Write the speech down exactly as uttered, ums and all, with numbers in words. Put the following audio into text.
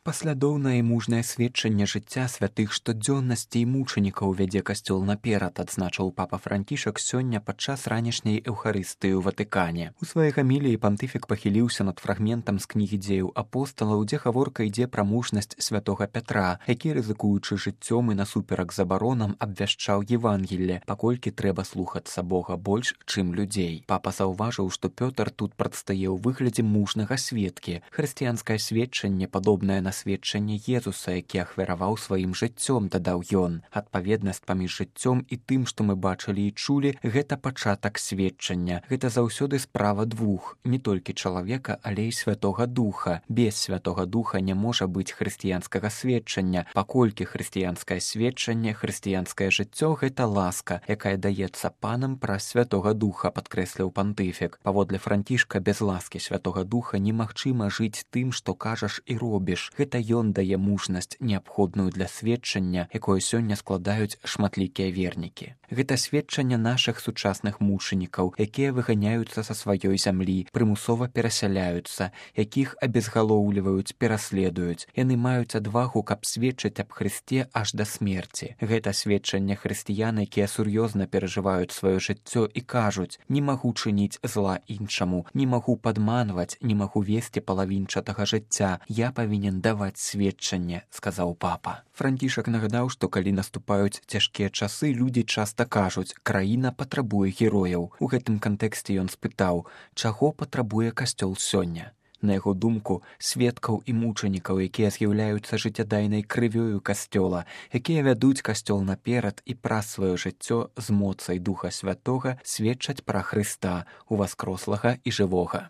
Паслядоўнае і мужнае сведчанне жыцця святых штодзённасці і мучанікаў вядзе касцёл наперад, адзначыў папа Францішак сёння падчас ранішняй эўхарыстыі ў Ватыкане. У сваёй гаміліі пантыфік пахіліўся над фрагментам з кнігі дзеяў апосталаў, дзе гаворка ідзе пра мужнасць святога Пятра, які, рызыкуючы жыццём і насуперак забаронам, абвяшчаў Евангелле, паколькі трэба слухацца Бога больш, чым людзей. Папа заўважыў, што Пётр тут прадстае ў выглядзе мужнага сведкі. Хрысціянскае сведчанне падобнае на сведчанне Езуса, які ахвяраваў сваім жыццём, дадаў ён. Адпаведнасць паміж жыццём і тым, што мы бачылі і чулі, гэта пачатак сведчання. Гэта заўсёды справа двух, не толькі чалавека, але і святога духа. Без святога духа не можа быць хрысціянскага сведчання, паколькі хрысціянскае сведчанне, хрысціянскае жыццё — гэта ласка, якая даецца панам праз святога духа, падкрэсліў пантыфік. Паводле Францішка, без ласкі святога духа немагчыма жыць тым, што кажаш і робіш. Гэта ён дае мужнасць, неабходную для сведчання, якое сёння складаюць шматлікія вернікі. Гэта сведчанне нашых сучасных мучанікаў, якія выганяюцца са сваёй зямлі, прымусова перасяляюцца, якіх абезгалоўліваюць, пераследуюць. Яны маюць адвагу, каб сведчыць аб Хрысце аж да смерці. Гэта сведчанне хрысціян, якія сур'ёзна перажываюць сваё жыццё і кажуць: не магу чыніць зла іншаму, не магу падманваць, не магу весці палавінчатага жыцця, я павінен даваць сведчанне, сказаў папа. Францішак нагадаў, што калі наступаюць цяжкія часы, людзі часта кажуць: краіна патрабуе герояў. У гэтым кантэксце ён спытаў, чаго патрабуе касцёл сёння. На яго думку, сведкаў і мучанікаў, якія з'яўляюцца жыццядайнай крывёю касцёла, якія вядуць касцёл наперад і праз сваё жыццё з моцай Духа Святога сведчаць пра Хрыста, уваскрослага і жывога.